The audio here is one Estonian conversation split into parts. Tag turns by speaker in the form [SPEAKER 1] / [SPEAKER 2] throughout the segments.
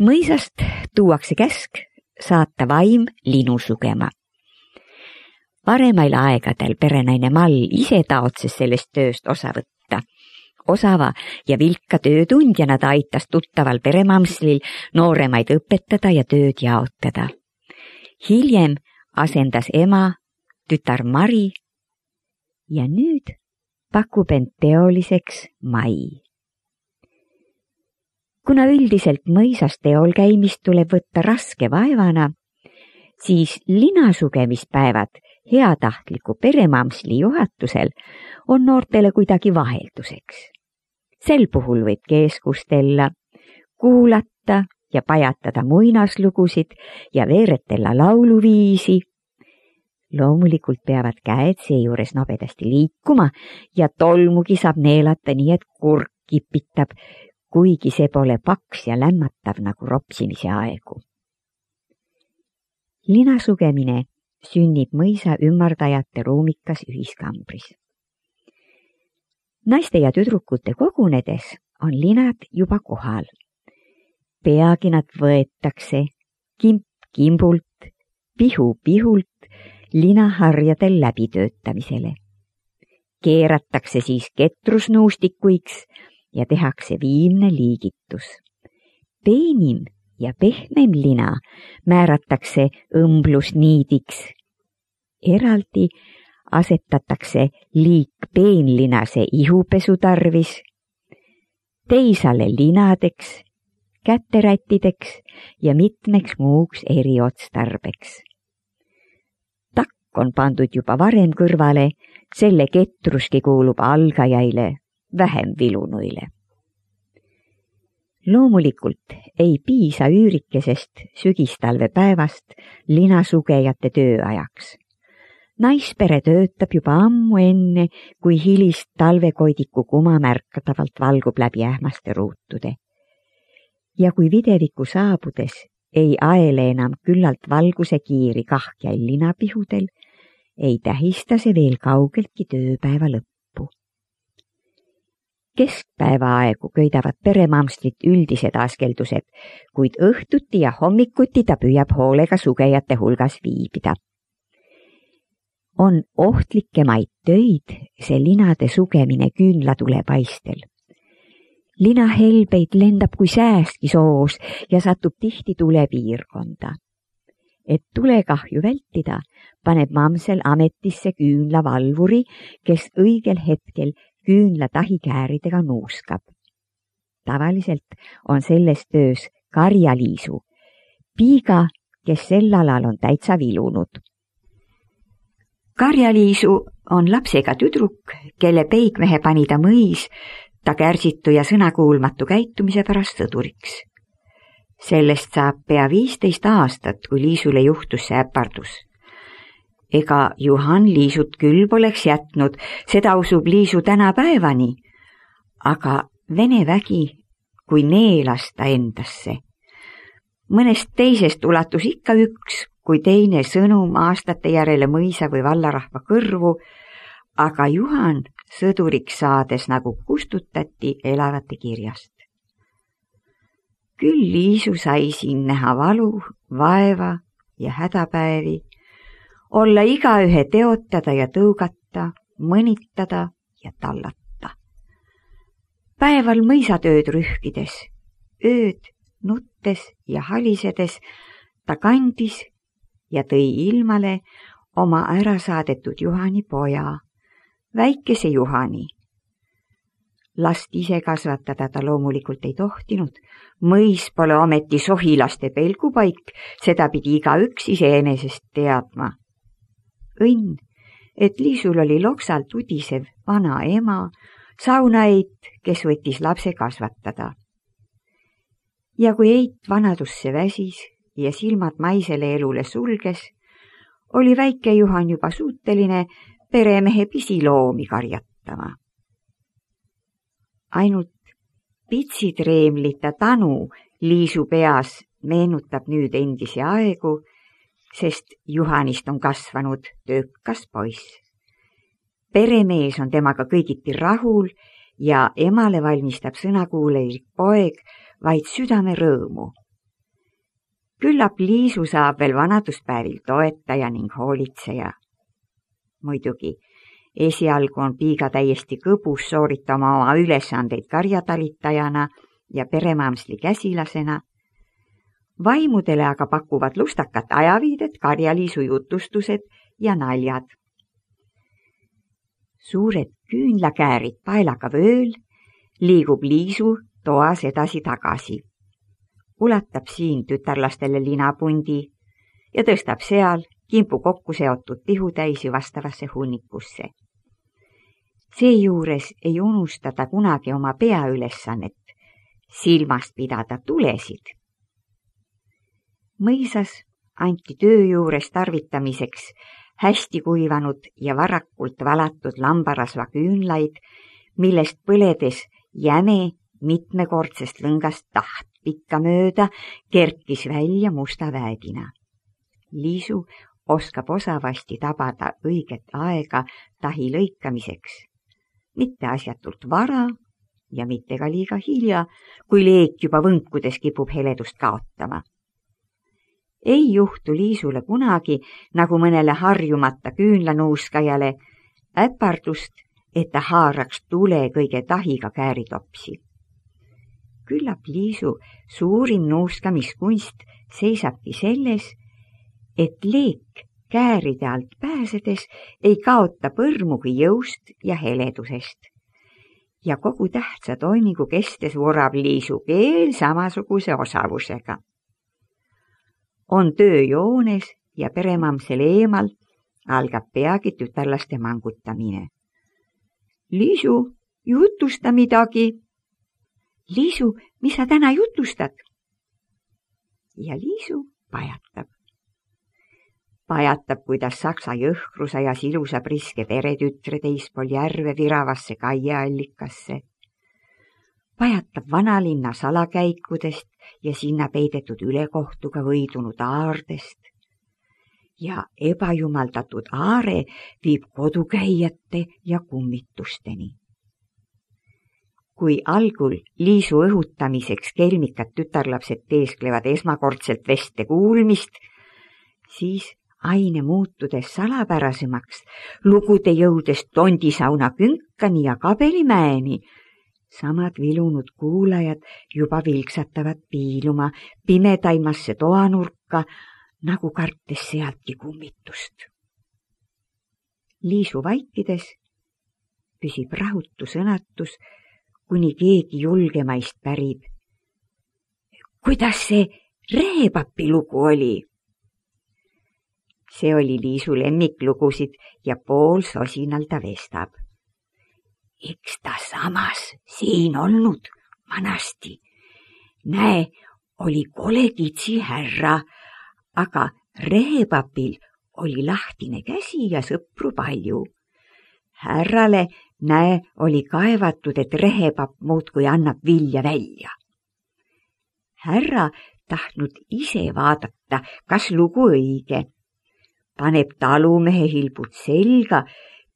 [SPEAKER 1] Mõisast tuuakse käsk saata vaim linu sugema. Paremail aegadel perenaine Mall ise taotses sellest tööst osa võtta. Osava ja vilka töötundjana ta aitas tuttaval peremamslil nooremaid õpetada ja tööd jaotada. Hiljem asendas ema tütar Mari ja nüüd pakub end teoliseks Mai. Kuna üldiselt mõisas teol käimist tuleb võtta raske vaevana, siis linasugemispäevad heatahtliku peremamsli juhatusel on noortele kuidagi vahelduseks. Sel puhul võib keskustella, kuulata ja pajatada muinaslugusid ja veeretella lauluviisi. Loomulikult peavad käed seejuures nobedasti liikuma ja tolmugi saab neelata nii, et kurk kipitab, kuigi see pole paks ja lämmatav nagu ropsimise aegu. Linasugemine sünnib mõisa ümardajate ruumikas ühiskambris. Naiste ja tüdrukute kogunedes on linad juba kohal. Peagi nad võetakse kimp kimbult, pihu pihult linaharjadel läbitöötamisele. Keeratakse siis ketrusnuustikuiks ja tehakse viimne liigitus. Peenim ja pehmem lina määratakse õmblusniidiks. Eraldi asetatakse liik peenlinase ihupesu tarvis, teisale linadeks, käterättideks ja mitmeks muuks eriotstarbeks. Takk on pandud juba varem kõrvale, selle ketruski kuulub algajaile, vähem vilunuile. Loomulikult ei piisa üürikesest sügistalvepäevast linasugejate tööajaks. Naispere töötab juba ammu enne, kui hilist talvekoidiku kuma märkatavalt valgub läbi ähmaste ruutude. Ja kui videviku saabudes ei aele enam küllalt valguse kiiri kahjail linapihudel, ei tähista see veel kaugeltki tööpäeva lõppu. Keskpäevaaegu köidavad peremamslit üldised askeldused, kuid õhtuti ja hommikuti ta püüab hoolega sugejate hulgas viibida. On ohtlikemaid töid see linade sugemine küünlatule paistel. Linahelbeid lendab kui säästki soos ja satub tihti tulepiirkonda. Et tulekahju vältida, paneb mamsel ametisse küünlavalvuri, kes õigel hetkel küünla tahikääridega nuuskab. Tavaliselt on selles töös karjaliisu, piiga, kes sel alal on täitsa vilunud. Karjaliisu on lapsega tüdruk, kelle peigmehe pani ta mõis, ta kärsitu ja sõnakuulmatu käitumise pärast sõduriks. Sellest saab pea 15 aastat, kui Liisule juhtus see äpardus. Ega Juhan Liisut küll poleks jätnud, seda usub Liisu tänapäevani, aga Vene vägi kui neelas ta endasse. Mõnest teisest ulatus ikka üks, kui teine sõnum aastate järele mõisa või vallarahva kõrvu, aga Juhan sõduriks saades nagu kustutati elavate kirjast. Küll Liisu sai siin näha valu, vaeva ja hädapäevi, olla igaühe teotada ja tõugata, mõnitada ja tallata. Päeval mõisatööd rühkides, ööd nuttes ja halisedes ta kandis ja tõi ilmale oma ärasaadetud Juhani poja, väikese Juhani. Last ise kasvatada ta loomulikult ei tohtinud, mõis pole ometi sohilaste pelgupaik, seda pidi igaüks iseenesest teadma. Õnn, et Liisul oli loksalt udisev vana ema, saunaeit, kes võttis lapse kasvatada. Ja kui eit vanadusse väsis ja silmad maisele elule sulges, oli väike Juhan juba suuteline peremehe pisiloomi karjatama. Ainult pitsitreemlita tanu Liisu peas meenutab nüüd endisi aegu, sest Juhanist on kasvanud töökas poiss. Peremees on temaga kõigiti rahul ja emale valmistab sõnakuulelik poeg vaid südame rõõmu. Küllap Liisu saab veel vanaduspäevil toetaja ning hoolitseja. Muidugi, esialgu on Piiga täiesti kõbus sooritama oma ülesandeid karjatalitajana ja peremamsli käsilasena. Vaimudele aga pakuvad lustakat ajaviidet Karja-Liisu jutustused ja naljad. Suured küünlakäärid paelaga vööl liigub Liisu toas edasi-tagasi. Ulatab siin tütarlastele linapundi ja tõstab seal kimpu kokku seotud tihutäisi vastavasse hunnikusse. Seejuures ei unustada kunagi oma peaülesannet, silmast pidada tulesid. Mõisas anti töö juures tarvitamiseks hästi kuivanud ja varakult valatud lambarasva küünlaid, millest põledes jäme mitmekordsest lõngast taht pikka mööda kerkis välja musta väedina. Liisu oskab osavasti tabada õiget aega tahi lõikamiseks, mitte asjatult vara ja mitte ka liiga hilja, kui leek juba võnkudes kipub heledust kaotama. Ei juhtu Liisule kunagi, nagu mõnele harjumata küünlanuuskajale, äpardust, et ta haaraks tule kõige tahiga kääritopsi. Küllap Liisu suurim nuuskamiskunst seisabki selles, et leek kääride alt pääsedes ei kaota põrmugi jõust ja heledusest. Ja kogu tähtsa toimingu kestes vurab Liisu keel samasuguse osavusega. On töö joones ja peremamsel eemal algab peagi tütarlaste mangutamine. Liisu, jutusta midagi. Liisu, mis sa täna jutustad? Ja Liisu pajatab. Pajatab, kuidas saksa jõhkruse ja ilusa priske peretütre teispool järve viravasse kaiaallikasse. Pajatab vanalinna salakäikudest ja sinna peidetud ülekohtuga võidunud aardest. Ja ebajumaldatud aare viib kodukäijate ja kummitusteni. Kui algul Liisu õhutamiseks kelmikad tütarlapsed teesklevad esmakordselt veste kuulmist, siis aine muutudes salapärasemaks, lugude jõudes tondisauna künkani ja kabelimäeni, samad vilunud kuulajad juba vilksatavad piiluma pimedaimasse toanurka, nagu kartes sealtki kummitust. Liisu vaikides püsib rahutu sõnatus, kuni keegi julgemaist pärib. Kuidas see rehepapi lugu oli? See oli Liisu lemmiklugusid ja pool sosinal ta vestab. Eks ta samas siin olnud vanasti. Näe, oli kole kitsi härra, aga rehepapil oli lahtine käsi ja sõpru palju. Härrale, näe, oli kaevatud, et rehepapp muudkui annab vilja välja. Härra tahtnud ise vaadata, kas lugu õige. Paneb talumehe hilbud selga,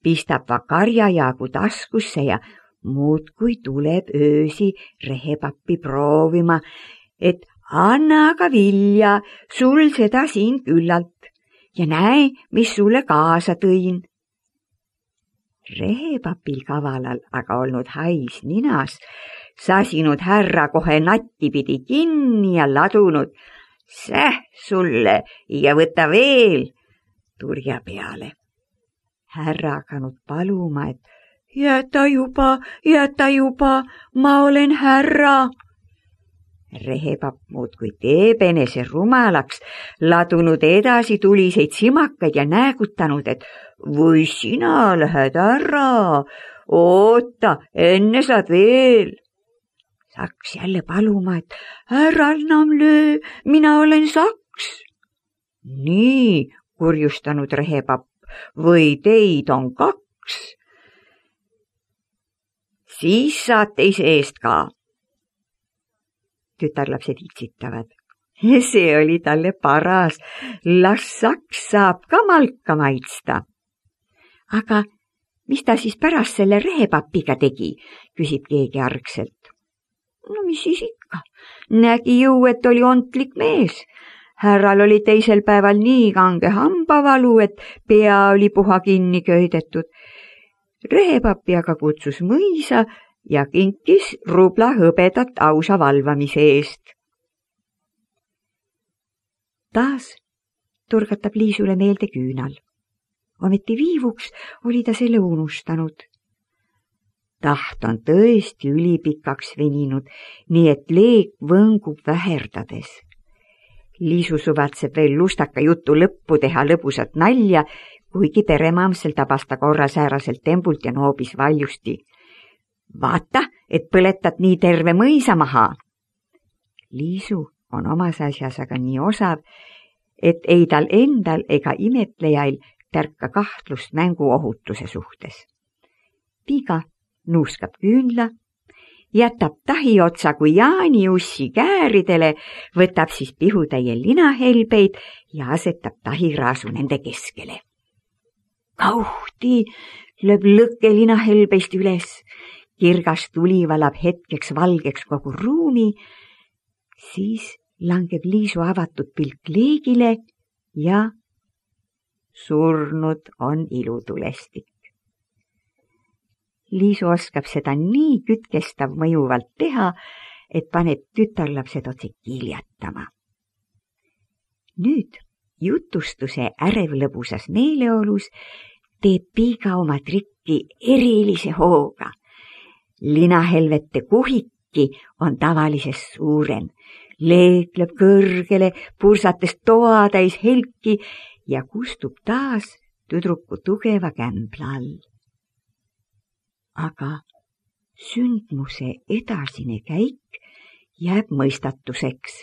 [SPEAKER 1] pistab karjajaagu taskusse ja muudkui tuleb öösi rehepappi proovima, et anna aga vilja, sul seda siin küllalt ja näe, mis sulle kaasa tõin. Rehepapil kavalal aga olnud hais ninas, sasinud härra kohe nattipidi kinni ja ladunud säh sulle ja võta veel turja peale. Härra hakanud paluma, et jäta juba, ma olen härra. Rehepapp muudkui teeb enese rumalaks, ladunud edasi tuliseid simakaid ja näägutanud, et või sina lähed ära, oota, enne saad veel. Saks jälle paluma, et ära enam löö, mina olen Saks. Nii, kurjustanud rehepapp, või teid on 2. Siis saad teise eest ka. Tütarlapsed itsitavad. See oli talle paras, las Saks saab ka malka maitsta. Aga mis ta siis pärast selle rehepapiga tegi, küsib keegi argselt. No mis siis ikka, nägi ju, et oli ontlik mees. Härral oli teisel päeval nii kange hambavalu, et pea oli puha kinni köidetud. Rehepapi aga kutsus mõisa ja kinkis rubla hõbedat ausa valvamise eest. Taas turgatab Liisule meelde küünal. Ometi viivuks oli ta selle unustanud. Taht on tõesti ülipikaks veninud, nii et leek võngub väherdades. Liisu suvatseb veel lustaka jutu lõppu teha lõbusat nalja, kuigi peremamsel tabas ta korra sääraselt tembult ja noobis valjusti. Vaata, et põletad nii terve mõisa maha. Liisu on omas asjas aga nii osav, et ei tal endal ega imetlejail tärka kahtlust mängu ohutuse suhtes. Piiga nuuskab küünla, jätab tahi otsa kui jaaniussi kääridele, võtab siis pihutäie linahelbeid ja asetab tahiraasu nende keskele. Kauhti lööb lõkke linahelbeist üles, kirgas tuli valab hetkeks valgeks kogu ruumi, siis langeb Liisu avatud pilk leegile ja surnud on ilutulestik. Liisu oskab seda nii kütkestav mõjuvalt teha, et paneb tütarlapsed otse kiljatama. Nüüd jutustuse ärevlõbusas meeleolus teeb Piiga oma trikki erilise hooga. Linahelvete kuhiki on tavalisest suurem, leekleb kõrgele, pursates toatäis helki ja kustub taas tüdruku tugeva kämbla all. Aga sündmuse edasine käik jääb mõistatuseks.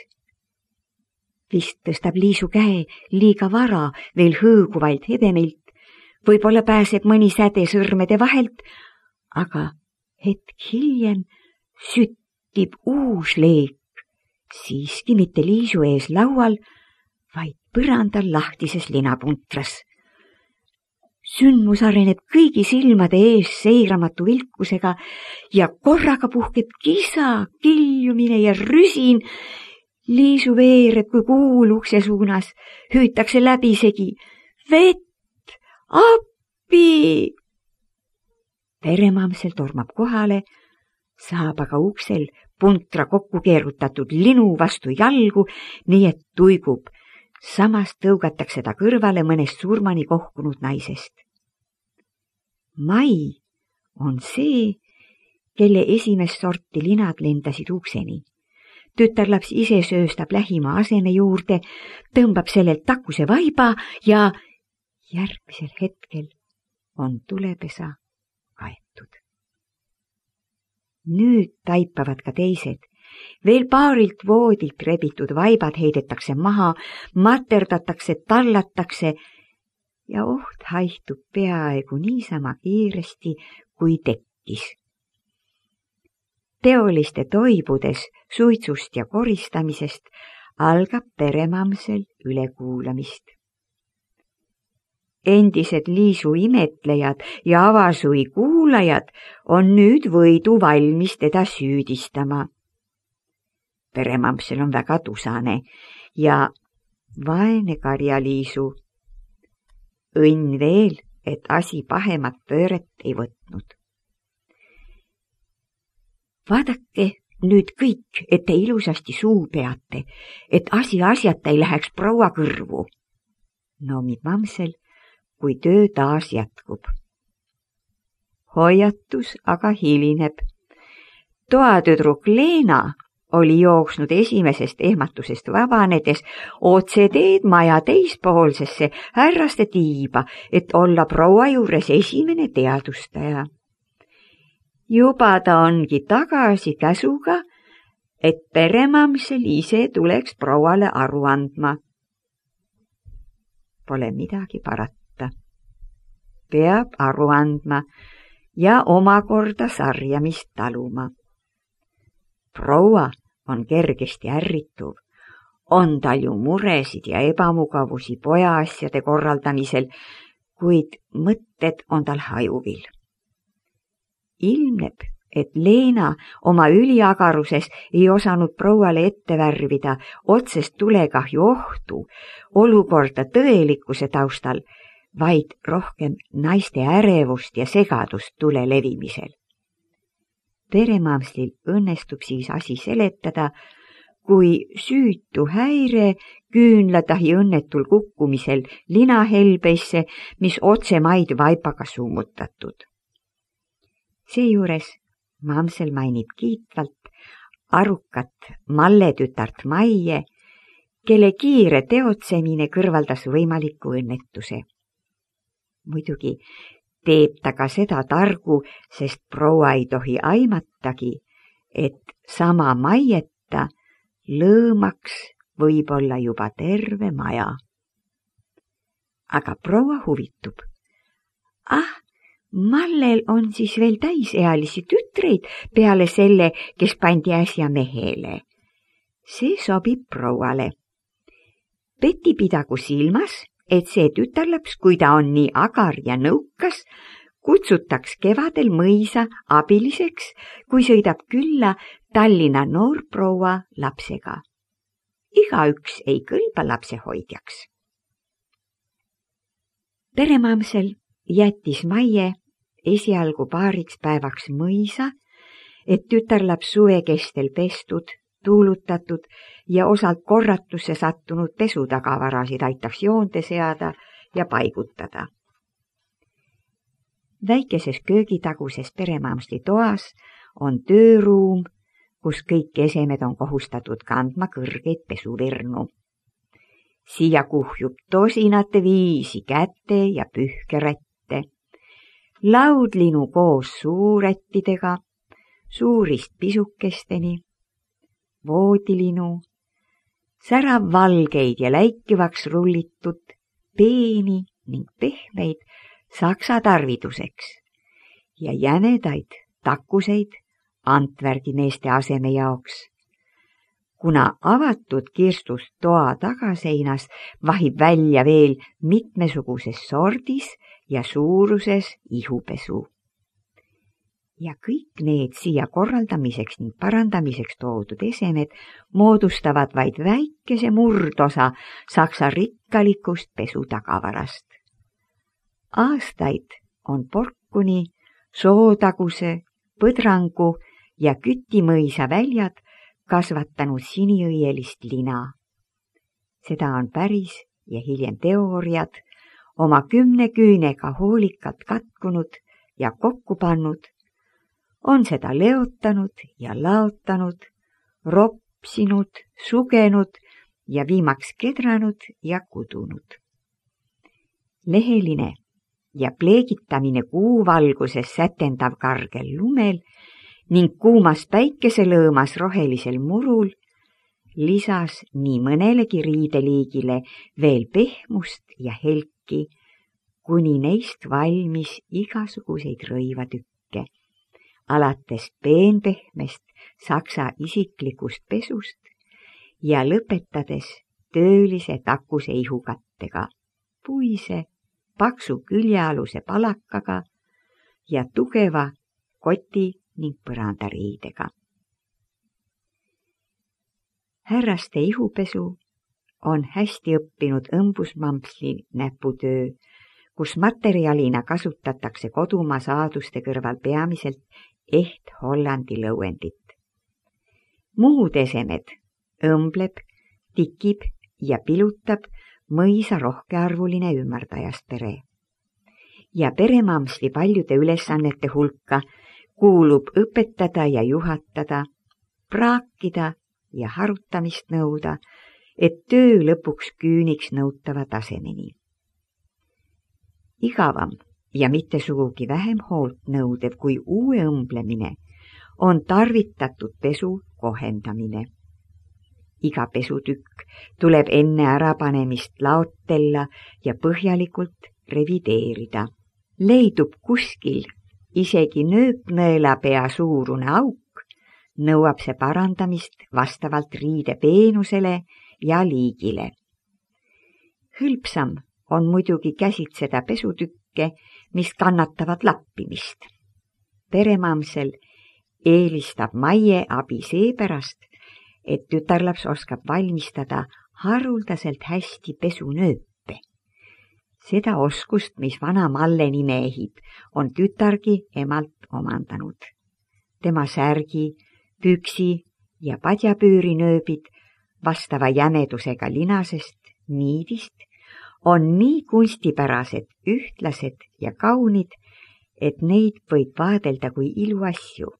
[SPEAKER 1] Vist tõstab Liisu käe liiga vara veel hõõguvalt hebemilt, võib-olla pääseb mõni säde sõrmede vahelt, aga hetk hiljem süttib uus leek, siiski mitte Liisu ees laual, vaid põrandal lahtises linapuntras. Sündmus areneb kõigi silmade ees seiramatu vilkusega ja korraga puhkeb kisa, kiljumine ja rüsin. Liisu veereb kui kuul ukse suunas, hüütakse läbisegi. Vett! Appi! Peremamsel tormab kohale, saab aga uksel puntra kokku keerutatud linu vastu jalgu, nii et tuigub. Samas tõugatakse ta kõrvale mõnest surmani kohkunud naisest. Mai on see, kelle esimest sorti linad lendasid ukseni. Tütarlaps ise sööstab lähima aseme juurde, tõmbab sellelt takuse vaiba ja järgmisel hetkel on tulepesa kaetud. Nüüd taipavad ka teised. Veel paarilt voodilt rebitud vaibad heidetakse maha, materdatakse, tallatakse ja oht haihtub peaaegu niisama kiiresti, kui tekkis. Teoliste toibudes suitsust ja koristamisest algab peremamsel ülekuulamist. Endised Liisu imetlejad ja avasui kuulajad on nüüd võidu valmis teda süüdistama. Peremamsel on väga tusane ja vaene karja Liisu. Õnn veel, et asi pahemat pööret ei võtnud. Vaadake nüüd kõik, et te ilusasti suu peate, et asi asjata ei läheks proua kõrvu. Noomib mamsel, kui töö taas jätkub. Hoiatus aga hilineb. Toatüdruk Leena oli jooksnud esimesest ehmatusest vabanedes otse teed maja teispoolsesse härraste tiiba, et olla proua juures esimene teadustaja. Juba ta ongi tagasi käsuga, et peremamsel ise tuleks prouale aru andma. Pole midagi parata. Peab aru andma ja omakorda sarjamist taluma. Proua on kergesti ärrituv, on tal ju muresid ja ebamugavusi pojaasjade korraldamisel, kuid mõtted on tal hajuvil. Ilmneb, et Leena oma üliagaruses ei osanud prouale ette värvida otsest tulekahju ohtu, olukorda tõelikkuse taustal, vaid rohkem naiste ärevust ja segadust tule levimisel. Peremamslil õnnestub siis asi seletada, kui süütu häire küünlatahi õnnetul kukkumisel linahelbeisse, mis otse maid vaipaga summutatud. Seejuures Mamsel mainib kiitvalt arukat Malle tütart Maie, kelle kiire teotsemine kõrvaldas võimaliku õnnetuse. Muidugi teeb ta ka seda targu, sest proua ei tohi aimatagi, et sama Maieta lõõmaks võib-olla juba terve maja. Aga proua huvitub. Mallel on siis veel täisealisi tütreid peale selle, kes pandi äsja mehele. See sobib prouale. Peti pidagu silmas, et see tütarlaps, kui ta on nii agar ja nõukas, kutsutaks kevadel mõisa abiliseks, kui sõidab külla Tallinna noorproua lapsega. Igaüks ei kõlba lapsehoidjaks. Peremamsel jättis Maie esialgu paariks päevaks mõisa, et tütarlaps suve kestel pestud, tuulutatud ja osalt korratusse sattunud pesutagavarasid aitaks joonte seada ja paigutada. Väikeses köögitaguses Peremamsli toas on tööruum, kus kõik esemed on kohustatud kandma kõrgeid pesuvirnu. Siia kuhjub tosinate viisi käte ja pühkerätte, laudlinu koos suurättidega, suurist pisukesteni, voodilinu, säravvalgeid ja läikivaks rullitud, peeni ning pehmeid saksa tarviduseks ja jänedaid takuseid Antverdi meeste aseme jaoks. Kuna avatud kirstust toa tagaseinas vahib välja veel mitmesuguses sordis ja suuruses ihupesu. Ja kõik need siia korraldamiseks ning parandamiseks toodud esemed moodustavad vaid väikese murdosa saksa rikkalikust pesutagavarast. Aastaid on Porkuni, Sootaguse, Põdrangu ja Kütimõisa väljad kasvatanud siniõielist lina. Seda on päris ja hiljem teooriad oma 10 küünega hoolikalt katkunud ja kokku pannud, on seda leotanud ja laotanud, ropsinud, sugenud ja viimaks kedranud ja kudunud. Leheline ja pleegitamine kuuvalguses sätendav kargel lumel ning kuumas päikeselõõmas rohelisel murul lisas nii mõnelegi riideliigile veel pehmust ja helki, kuni neist valmis igasuguseid rõivatükke, alates peenpehmest saksa isiklikust pesust ja lõpetades töölise takuse ihukattega, puise, paksu küljealuse palakaga ja tugeva koti ning põrandariidega. Härraste ihupesu on hästi õppinud õmbusmamsli näputöö, kus materjalina kasutatakse kodumaa saaduste kõrval peamiselt eht Hollandi lõuendit. Muud esemed õmbleb, tikib ja pilutab mõisa rohkearvuline ümardajast pere. Ja Peremamsli paljude ülesannete hulka kuulub õpetada ja juhatada, praakida ja harutamist nõuda, et töö lõpuks küüniks nõutava tasemeni. Igavam ja mitte sugugi vähem hoolt nõudev kui uue õmblemine on tarvitatud pesu kohendamine. Iga pesutükk tuleb enne ärapanemist laotella ja põhjalikult revideerida. Leidub kuskil isegi nööpnõelapea suurune auk, nõuab see parandamist vastavalt riide peenusele ja liigile. Hõlpsam on muidugi käsitseda pesutükke, mis kannatavad lappimist. Peremamsel eelistab Maie abi seepärast, et tütarlaps oskab valmistada haruldaselt hästi pesunööpe. Seda oskust, mis vana Malleni meehib, on tütargi emalt omandanud. Tema särgi, püksi ja padjapüürinööbid vastava jämedusega linasest, niidist, on nii kunstipärased, ühtlased ja kaunid, et neid võib vaadelda kui iluasju.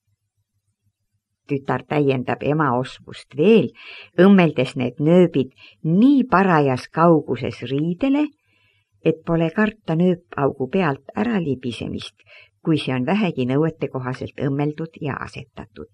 [SPEAKER 1] Tütar täiendab ema oskust veel, õmmeldes need nööbid nii parajas kauguses riidele, et pole karta nööpaugu pealt ära libisemist, kui see on vähegi nõuetekohaselt õmmeldud ja asetatud.